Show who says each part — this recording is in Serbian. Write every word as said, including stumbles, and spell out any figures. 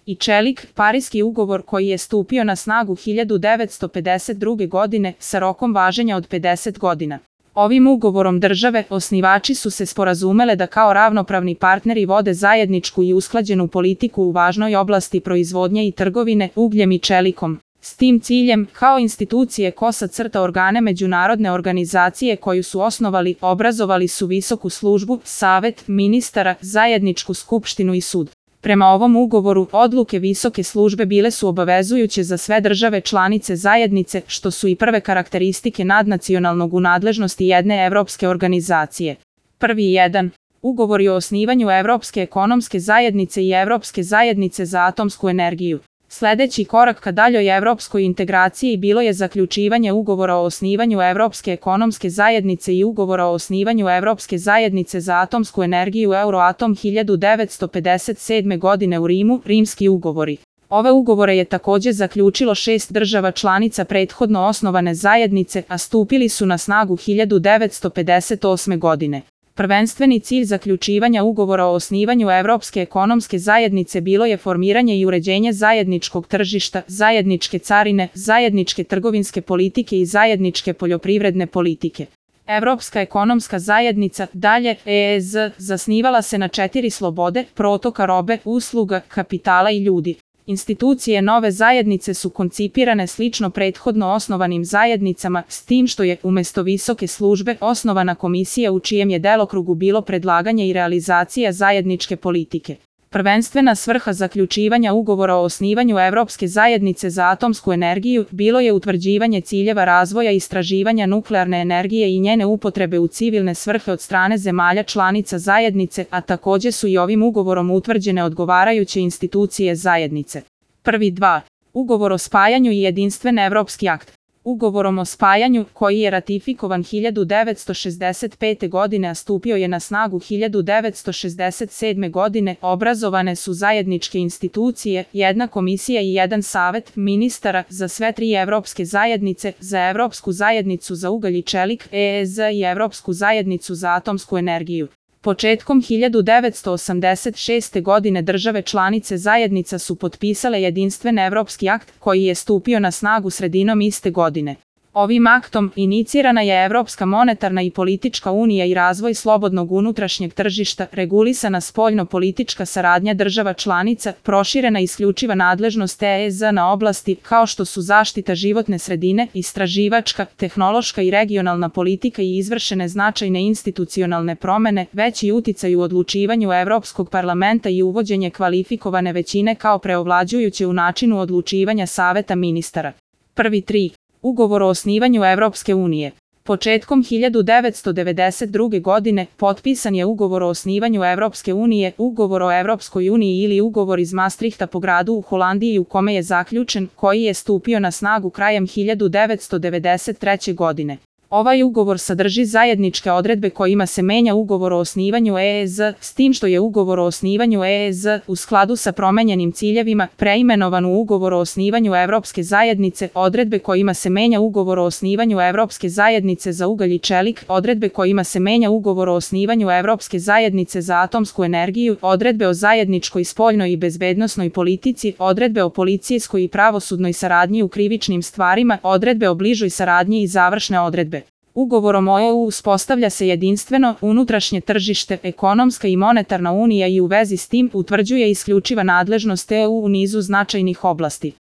Speaker 1: i čelik, Pariski ugovor koji je stupio na snagu hiljadu devetsto pedeset druge. godine sa rokom važenja od pedeset godina. Ovim ugovorom države, osnivači su se sporazumele da kao ravnopravni partneri vode zajedničku i usklađenu politiku u važnoj oblasti proizvodnje i trgovine ugljem i čelikom. S tim ciljem, kao institucije kosa crta organe međunarodne organizacije koju su osnovali, obrazovali su visoku službu, savet ministara, zajedničku skupštinu i sud. Prema ovom ugovoru, odluke visoke službe bile su obavezujuće za sve države članice zajednice, što su i prve karakteristike nadnacionalnog u nadležnosti jedne evropske organizacije. Prvi jedan. Ugovori o osnivanju Evropske ekonomske zajednice i Evropske zajednice za atomsku energiju. Sljedeći korak ka daljoj evropskoj integraciji bilo je zaključivanje ugovora o osnivanju Evropske ekonomske zajednice i ugovora o osnivanju Evropske zajednice za atomsku energiju Euroatom hiljadu devetsto pedeset sedme. godine u Rimu, Rimski ugovori. Ove ugovore je također zaključilo šest država članica prethodno osnovane zajednice, a stupili su na snagu hiljadu devetsto pedeset osme. godine. Prvenstveni cilj zaključivanja ugovora o osnivanju Evropske ekonomske zajednice bilo je formiranje i uređenje zajedničkog tržišta, zajedničke carine, zajedničke trgovinske politike i zajedničke poljoprivredne politike. Evropska ekonomska zajednica, dalje E E Z, zasnivala se na četiri slobode, protoka robe, usluga, kapitala i ljudi. Institucije nove zajednice su koncipirane slično prethodno osnovanim zajednicama, s tim što je, umjesto visoke službe, osnovana komisija u čijem je delokrugu bilo predlaganje i realizacija zajedničke politike. Prvenstvena svrha zaključivanja ugovora o osnivanju Evropske zajednice za atomsku energiju bilo je utvrđivanje ciljeva razvoja i istraživanja nuklearne energije i njene upotrebe u civilne svrhe od strane zemalja članica zajednice, a također su i ovim ugovorom utvrđene odgovarajuće institucije zajednice. Prvi dva. Ugovor o spajanju i jedinstven evropski akt. Ugovorom o spajanju, koji je ratifikovan hiljadu devetsto šezdeset pete. godine, a stupio je na snagu hiljadu devetsto šezdeset sedme. godine, obrazovane su zajedničke institucije, jedna komisija i jedan savet ministara za sve tri evropske zajednice, za Evropsku zajednicu za ugalj i čelik, E E Z i Evropsku zajednicu za atomsku energiju. Početkom hiljadu devetsto osamdeset šeste. godine države članice zajednica su potpisale jedinstven evropski akt koji je stupio na snagu sredinom iste godine. Ovim aktom inicirana je Evropska monetarna i politička unija i razvoj slobodnog unutrašnjeg tržišta, regulisana spoljno-politička saradnja država članica, proširena isključiva nadležnost E E Z na oblasti kao što su zaštita životne sredine, istraživačka, tehnološka i regionalna politika i izvršene značajne institucionalne promjene, veći uticaj u odlučivanju Evropskog parlamenta i uvođenje kvalifikovane većine kao preovlađujuće u načinu odlučivanja Saveta ministara. Prvi tri. Ugovor o osnivanju Evropske unije. Početkom hiljadu devetsto devedeset druge. godine potpisan je ugovor o osnivanju Evropske unije, ugovor o Evropskoj uniji ili ugovor iz Maastrichta po gradu u Holandiji u kome je zaključen, koji je stupio na snagu krajem hiljadu devetsto devedeset treće. godine. Ovaj ugovor sadrži zajedničke odredbe kojima se menja ugovor o osnivanju E E Z, s tim što je ugovor o osnivanju E E Z u skladu sa promenjenim ciljevima preimenovan u ugovor o osnivanju Evropske zajednice, odredbe kojima se menja ugovor o osnivanju Evropske zajednice za ugalj i čelik, odredbe kojima se menja ugovor o osnivanju Evropske zajednice za atomsku energiju, odredbe o zajedničkoj spoljnoj i bezbednosnoj politici, odredbe o policijskoj i pravosudnoj saradnji u krivičnim stvarima, odredbe o bližoj saradnji i završne odredbe. Ugovorom o E U uspostavlja se jedinstveno unutrašnje tržište, ekonomska i monetarna unija i u vezi s tim utvrđuje isključiva nadležnost E U u nizu značajnih oblasti.